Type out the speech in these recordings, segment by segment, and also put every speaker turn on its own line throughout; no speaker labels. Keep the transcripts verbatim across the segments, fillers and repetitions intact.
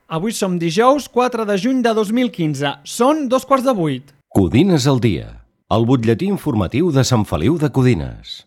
Avui som dijous quatre de juny de dos mil quinze. Són dos quarts de vuit.
Codines al dia, el butlletí informatiu de Sant Feliu de Codines.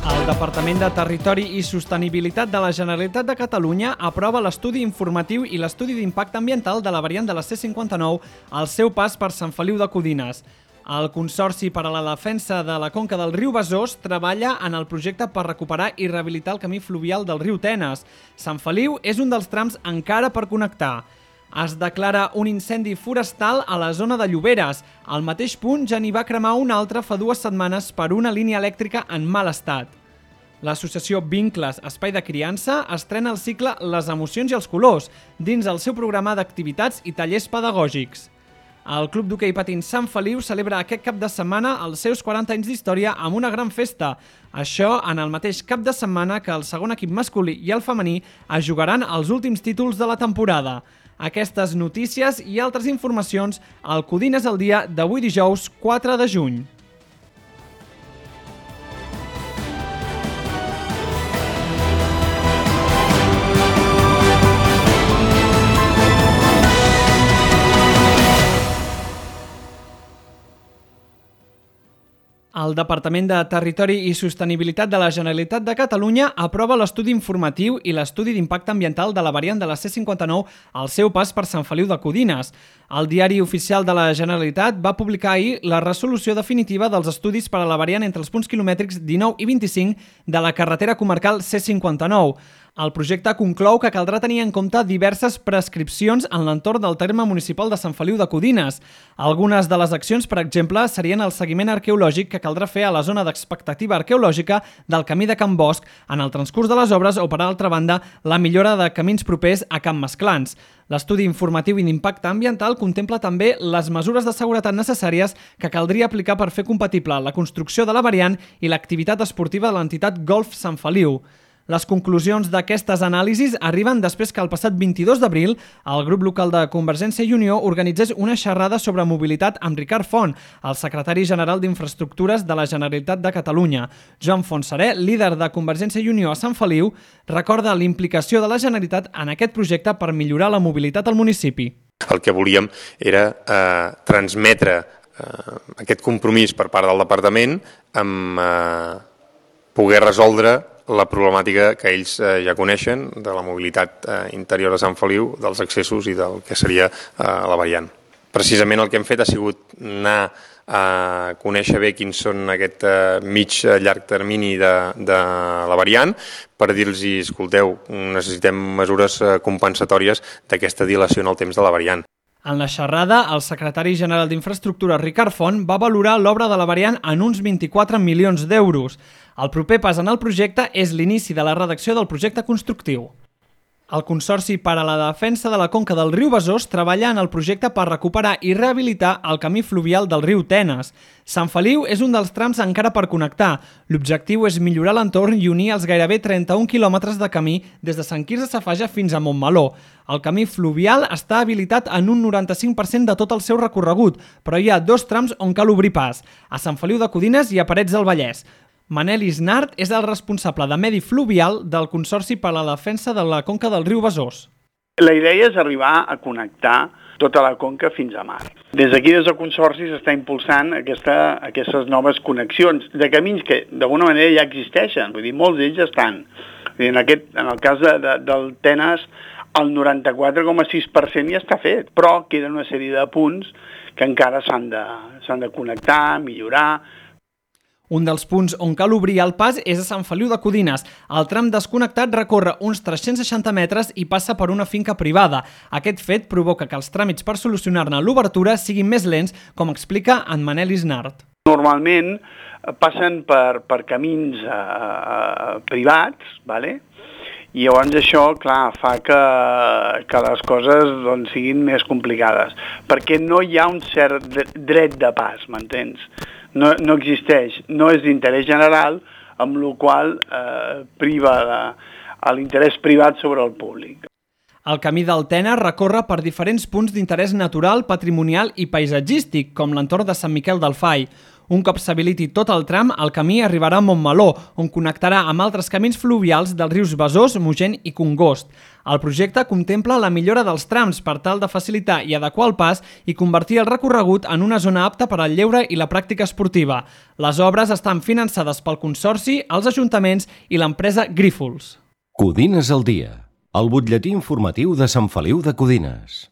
El Departament de Territori i Sostenibilitat de la Generalitat de Catalunya aprova l'estudi informatiu i l'estudi d'impacte ambiental de la variant de la C cinquanta-nou al seu pas per Sant Feliu de Codines. El Consorci per a la Defensa de la Conca del riu Besòs treballa en el projecte per recuperar i rehabilitar el camí fluvial del riu Tenes. Sant Feliu és un dels trams encara per connectar. Es declara un incendi forestal a la zona de Lloberes. Al mateix punt ja n'hi va cremar un altre fa dues setmanes per una línia elèctrica en mal estat. L'associació Vincles Espai de Criança estrena el cicle Les emocions i els colors dins el seu programa d'activitats i tallers pedagògics. El Club d'Hoquei Patins Sant Feliu celebra aquest cap de setmana els seus quaranta anys d'història amb una gran festa. Això en el mateix cap de setmana que el segon equip masculí i el femení es jugaran els últims títols de la temporada. Aquestes notícies i altres informacions al Codines al dia d'avui dijous quatre de juny. El Departament de Territori i Sostenibilitat de la Generalitat de Catalunya aprova l'estudi informatiu i l'estudi d'impacte ambiental de la variant de la C cinquanta-nou al seu pas per Sant Feliu de Codines. El Diari Oficial de la Generalitat va publicar ahir la resolució definitiva dels estudis per a la variant entre els punts quilomètrics dinou i vint-i-cinc de la carretera comarcal C cinquanta-nou. El projecte conclou que caldrà tenir en compte diverses prescripcions en l'entorn del terme municipal de Sant Feliu de Codines. Algunes de les accions, per exemple, serien el seguiment arqueològic que caldrà fer a la zona d'expectativa arqueològica del camí de Can Bosch en el transcurs de les obres o, per altra banda, la millora de camins propers a Can Masclans. L'estudi informatiu i d'impacte ambiental contempla també les mesures de seguretat necessàries que caldria aplicar per fer compatible la construcció de la variant i l'activitat esportiva de l'entitat Golf Sant Feliu. Les conclusions d'aquestes anàlisis arriben després que el passat vint-i-dos d'abril el grup local de Convergència i Unió organitzés una xerrada sobre mobilitat amb Ricard Font, el secretari general d'Infraestructures de la Generalitat de Catalunya. Joan Fontserè, líder de Convergència i Unió a Sant Feliu, recorda l'implicació de la Generalitat en aquest projecte per millorar la mobilitat al municipi.
El que volíem era eh, transmetre eh, aquest compromís per part del departament amb eh, poder resoldre la problemàtica que ells eh, ja coneixen de la mobilitat eh, interior de Sant Feliu, dels accessos i del que seria eh, la variant. Precisament el que hem fet ha sigut anar a conèixer bé quins són aquest eh, mig llarg termini de, de la variant per dir-los, escolteu, necessitem mesures eh, compensatòries d'aquesta dilació en el temps de la variant.
En la xerrada, el secretari general d'Infraestructures, Ricard Font, va valorar l'obra de la variant en uns vint-i-quatre milions d'euros. El proper pas en el projecte és l'inici de la redacció del projecte constructiu. El Consorci per a la Defensa de la Conca del riu Besòs treballa en el projecte per recuperar i rehabilitar el camí fluvial del riu Tenes. Sant Feliu és un dels trams encara per connectar. L'objectiu és millorar l'entorn i unir els gairebé trenta-un quilòmetres de camí des de Sant Quirze Safaja fins a Montmeló. El camí fluvial està habilitat en un noranta-cinc per cent de tot el seu recorregut, però hi ha dos trams on cal obrir pas, a Sant Feliu de Codines i a Parets del Vallès. Manel Isnart és el responsable de Medi Fluvial del Consorci per a la Defensa de la Conca del riu Besòs.
La idea és arribar a connectar tota la conca fins a mar. Des d'aquí, des del Consorci, s'està impulsant aquesta, aquestes noves connexions de camins que d'alguna manera ja existeixen, vull dir, molts d'ells ja estan. Vull dir, en, aquest, en el cas de, de, del Tenes, el noranta-quatre coma sis per cent ja està fet, però queden una sèrie de punts que encara s'han de, s'han de connectar, millorar.
Un dels punts on cal obrir el pas és a Sant Feliu de Codines. El tram desconnectat recorre uns tres-cents seixanta metres i passa per una finca privada. Aquest fet provoca que els tràmits per solucionar-ne l'obertura siguin més lents, com explica en Manel Isnart.
Normalment passen per, per camins eh, privats, vale? I llavors això, clar, fa que, que les coses doncs, siguin més complicades, perquè no hi ha un cert dret de pas, m'entens? No, no existeix, no és d'interès general, amb la qual cosa eh, priva l'interès privat sobre el públic.
El Camí del Tena recorre per diferents punts d'interès natural, patrimonial i paisatgístic, com l'entorn de Sant Miquel del Fai. Un cop s'habiliti tot el tram, el camí arribarà a Montmeló, on connectarà amb altres camins fluvials dels rius Besòs, Mogent i Congost. El projecte contempla la millora dels trams per tal de facilitar i adequar el pas i convertir el recorregut en una zona apta per al lleure i la pràctica esportiva. Les obres estan finançades pel Consorci, els ajuntaments i l'empresa Grífols.
Codines al dia, el butlletí informatiu de Sant Feliu de Codines.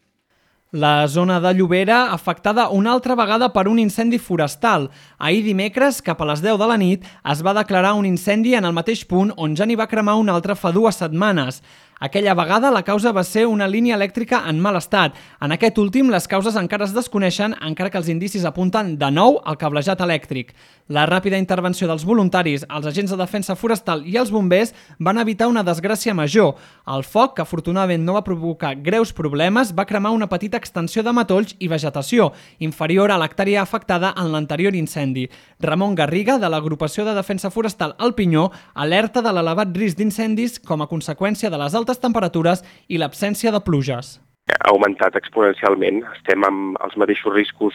La zona de Llobera afectada una altra vegada per un incendi forestal. Ahir dimecres, cap a les deu de la nit, es va declarar un incendi en el mateix punt on ja n'hi va cremar un altre fa dues setmanes. Aquella vegada la causa va ser una línia elèctrica en mal estat. En aquest últim, les causes encara es desconeixen, encara que els indicis apunten de nou al cablejat elèctric. La ràpida intervenció dels voluntaris, els agents de defensa forestal i els bombers van evitar una desgràcia major. El foc, que afortunadament no va provocar greus problemes, va cremar una petita extensió de matolls i vegetació, inferior a l'hectàrea afectada en l'anterior incendi. Ramon Garriga, de l'agrupació de defensa forestal El Pinyó, alerta de l'elevat risc d'incendis com a conseqüència de les altes temperatures i l'absència de pluges.
Ha augmentat exponencialment. Estem amb els mateixos riscos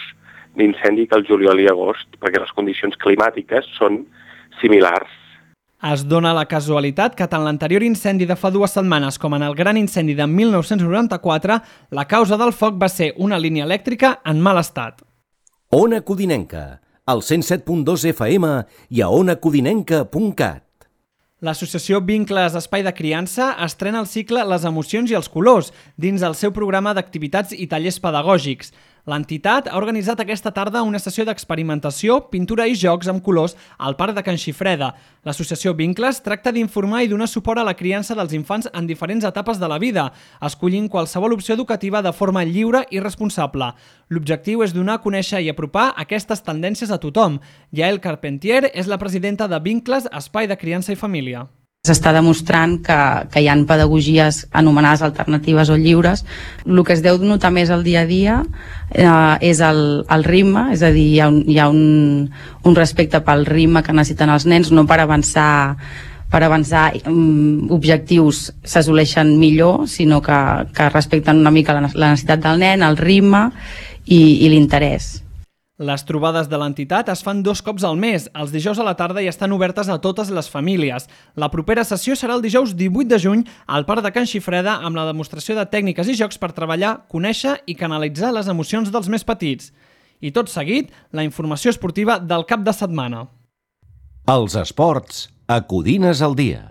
d'incendi que el juliol i agost, perquè les condicions climàtiques són similars.
Es dona la casualitat que tant l'anterior incendi de fa dues setmanes com en el gran incendi de mil nou-cents noranta-quatre, la causa del foc va ser una línia elèctrica en mal estat.
Ona Codinenca, al cent set punt dos F M i a ona codinenca punt cat.
L'associació Vincles Espai de Criança estrena el cicle Les emocions i els colors dins el seu programa d'activitats i tallers pedagògics. L'entitat ha organitzat aquesta tarda una sessió d'experimentació, pintura i jocs amb colors al Parc de Can Xifreda. L'associació Vincles tracta d'informar i donar suport a la criança dels infants en diferents etapes de la vida, escollint qualsevol opció educativa de forma lliure i responsable. L'objectiu és donar a conèixer i apropar aquestes tendències a tothom. Yael Carpentier és la presidenta de Vincles Espai de Criança i Família.
S'està demostrant que, que hi ha pedagogies anomenades alternatives o lliures. El que es deu notar més al dia a dia eh, és el, el ritme, és a dir, hi ha, un, hi ha un, un respecte pel ritme que necessiten els nens, no per avançar, per avançar um, objectius s'assoleixen millor, sinó que, que respecten una mica la, la necessitat del nen, el ritme i, i l'interès.
Les trobades de l'entitat es fan dos cops al mes, els dijous a la tarda i estan obertes a totes les famílies. La propera sessió serà el dijous divuit de juny al Parc de Can Xifreda amb la demostració de tècniques i jocs per treballar, conèixer i canalitzar les emocions dels més petits. I tot seguit, la informació esportiva del cap de setmana.
Els esports a Codines al dia.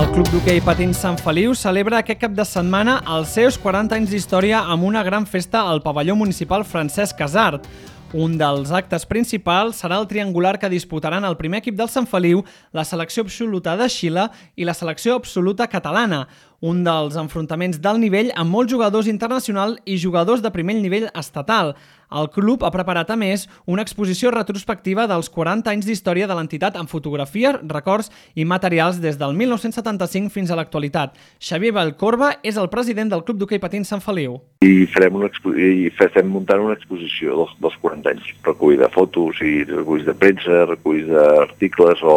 El Club d'Hoquei Patins Sant Feliu celebra aquest cap de setmana els seus quaranta anys d'història amb una gran festa al pavelló municipal Francesc Casart. Un dels actes principals serà el triangular que disputaran el primer equip del Sant Feliu, la selecció absoluta de Xile i la selecció absoluta catalana. Un dels enfrontaments d'alt nivell amb molts jugadors internacionals i jugadors de primer nivell estatal. El club ha preparat, a més, una exposició retrospectiva dels quaranta anys d'història de l'entitat amb fotografies, records i materials des del mil nou-cents setanta-cinc fins a l'actualitat. Xavier Vallcorba és el president del Club d'Hoquei Patins Sant Feliu.
I farem una expo i estem muntant una exposició dels, dels quaranta anys, recull de fotos i reculls de premsa, reculls d'articles o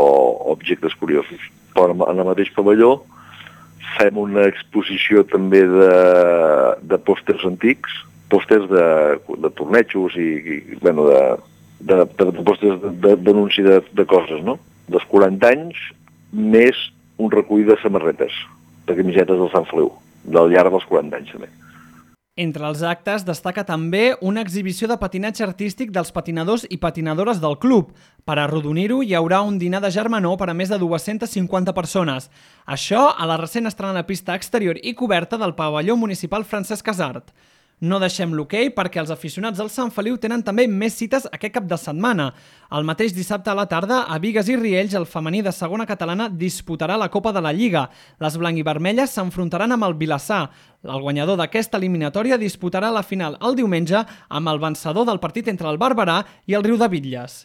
objectes curiosos. Però en el mateix pavelló fem una exposició també de, de pòsters antics, pòsters de, de tornejos i, i bueno, de, de, de, de pòsters d'anunci de, de, de coses, no? Dels quaranta anys, més un recull de samarretes, de camisetes del Sant Feliu, del llarg dels quaranta anys també.
Entre els actes destaca també una exhibició de patinatge artístic dels patinadors i patinadores del club. Per arrodonir-ho hi haurà un dinar de germanor per a més de dues-centes cinquanta persones. Això a la recent estrenada pista exterior i coberta del pavelló municipal Francesc Casart. No deixem l'hoquei perquè els aficionats del Sant Feliu tenen també més cites aquest cap de setmana. El mateix dissabte a la tarda, a Bigues i Riells, el femení de segona catalana disputarà la Copa de la Lliga. Les blanc-i-vermelles s'enfrontaran amb el Vilassar. El guanyador d'aquesta eliminatòria disputarà la final el diumenge amb el vencedor del partit entre el Barberà i el Riu de Bitlles.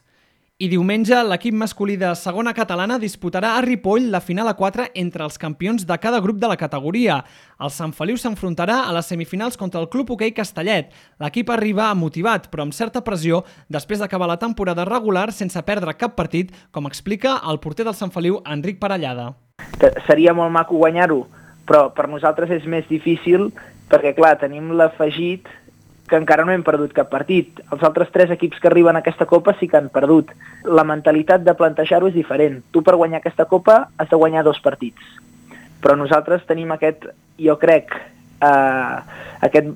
I diumenge, l'equip masculí de segona catalana disputarà a Ripoll la final a quatre entre els campions de cada grup de la categoria. El Sant Feliu s'enfrontarà a les semifinals contra el Club Hoquei Castellet. L'equip arriba motivat, però amb certa pressió, després d'acabar la temporada regular sense perdre cap partit, com explica el porter del Sant Feliu, Enric Parellada.
Seria molt maco guanyar-ho, però per nosaltres és més difícil perquè, clar, tenim l'afegit que encara no hem perdut cap partit. Els altres tres equips que arriben a aquesta Copa sí que han perdut. La mentalitat de plantejar-ho és diferent. Tu per guanyar aquesta Copa has de guanyar dos partits. Però nosaltres tenim aquest, jo crec, eh, aquest,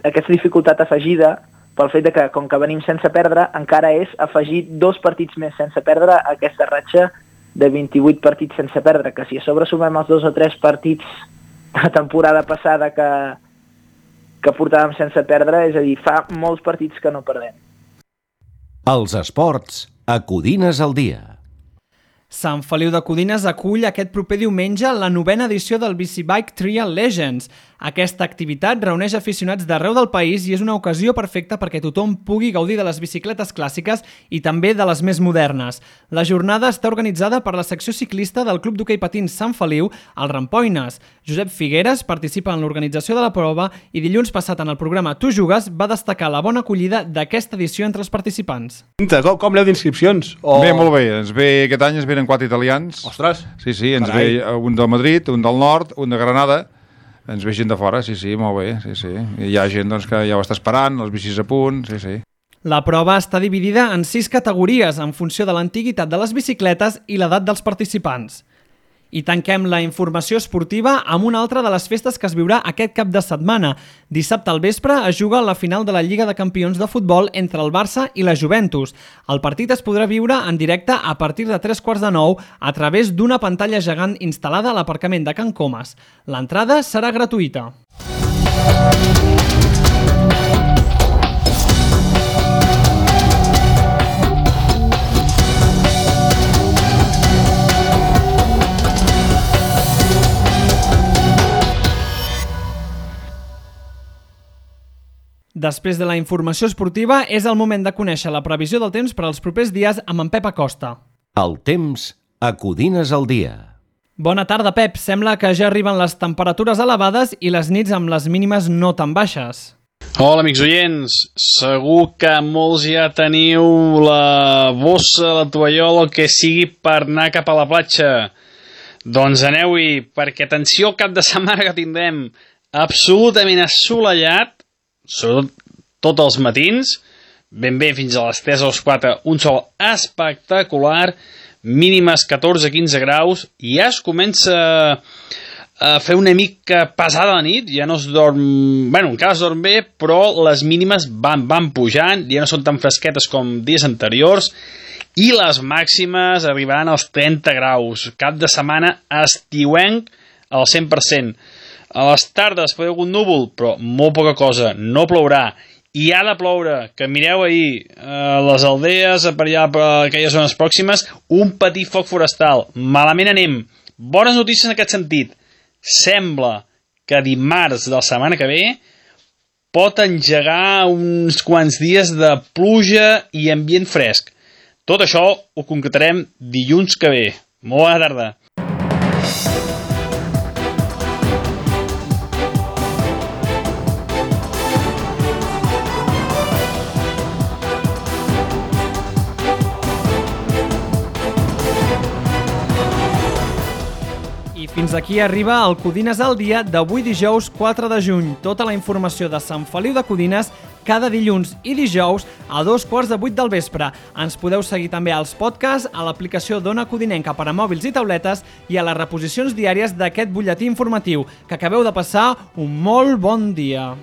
aquesta dificultat afegida pel fet de que, com que venim sense perdre, encara és afegir dos partits més sense perdre a aquesta ratxa de vint-i-vuit partits sense perdre, que si a sobre sumem els dos o tres partits de la temporada passada que que portàvem sense perdre, és a dir, fa molts partits que no perdem.
Els esports a Codines al dia.
Sant Feliu de Codines acull aquest proper diumenge la novena edició del Bicibike Trial Legends. Aquesta activitat reuneix aficionats d'arreu del país i és una ocasió perfecta perquè tothom pugui gaudir de les bicicletes clàssiques i també de les més modernes. La jornada està organitzada per la secció ciclista del Club d'Hoquei Patins Sant Feliu, el Rampoines. Josep Figueres participa en l'organització de la prova i dilluns passat en el programa Tu Jugues va destacar la bona acollida d'aquesta edició entre els participants.
Com, com aneu d'inscripcions? O...
Bé, molt bé. Ens ve, aquest any ens venen quatre italians.
Ostres!
Sí, sí, ens
Carai.
ve un del Madrid, un del nord, un de Granada. Ens ve gent de fora, sí, sí, molt bé, sí, sí. I hi ha gent doncs, que ja ho està esperant, les bicis a punt, sí, sí.
La prova està dividida en sis categories en funció de l'antiguitat de les bicicletes i l'edat dels participants. I tanquem la informació esportiva amb una altra de les festes que es viurà aquest cap de setmana. Dissabte al vespre es juga la final de la Lliga de Campions de Futbol entre el Barça i la Juventus. El partit es podrà viure en directe a partir de tres quarts de nou a través d'una pantalla gegant instal·lada a l'aparcament de Can Comas. L'entrada serà gratuïta. Després de la informació esportiva, és el moment de conèixer la previsió del temps per als propers dies amb en Pep Acosta.
El temps a Codines al dia.
Bona tarda, Pep. Sembla que ja arriben les temperatures elevades i les nits amb les mínimes no tan baixes.
Hola, amics oients. Segur que molts ja teniu la bossa, la tovallola, el que sigui per anar cap a la platja. Doncs aneu-hi, perquè atenció al cap de setmana que tindrem absolutament assolellat, sobretot tots els matins, ben bé fins a les tres o les quatre, un sol espectacular, mínimes catorze a quinze graus, i ja es comença a fer una mica pesada la nit, ja no es dorm... Bueno, encara es dorm bé, però les mínimes van, van pujant, ja no són tan fresquetes com dies anteriors, i les màximes arribaran als trenta graus. Cap de setmana estiuenc al cent per cent. A les tardes pot haver algun núvol, però molt poca cosa, no plourà. I ha de ploure, que mireu ahir, a les aldees, per allà, per aquelles zones pròximes, un petit foc forestal. Malament anem. Bones notícies en aquest sentit. Sembla que dimarts de la setmana que ve pot engegar uns quants dies de pluja i ambient fresc. Tot això ho concretarem dilluns que ve. Molt bona tarda.
Fins aquí arriba el Codines al dia d'avui dijous quatre de juny. Tota la informació de Sant Feliu de Codines cada dilluns i dijous a dos quarts de vuit del vespre. Ens podeu seguir també als podcasts, a l'aplicació d'Ona Codinenca per a mòbils i tauletes i a les reposicions diàries d'aquest butlletí informatiu. Que acabeu de passar un molt bon dia.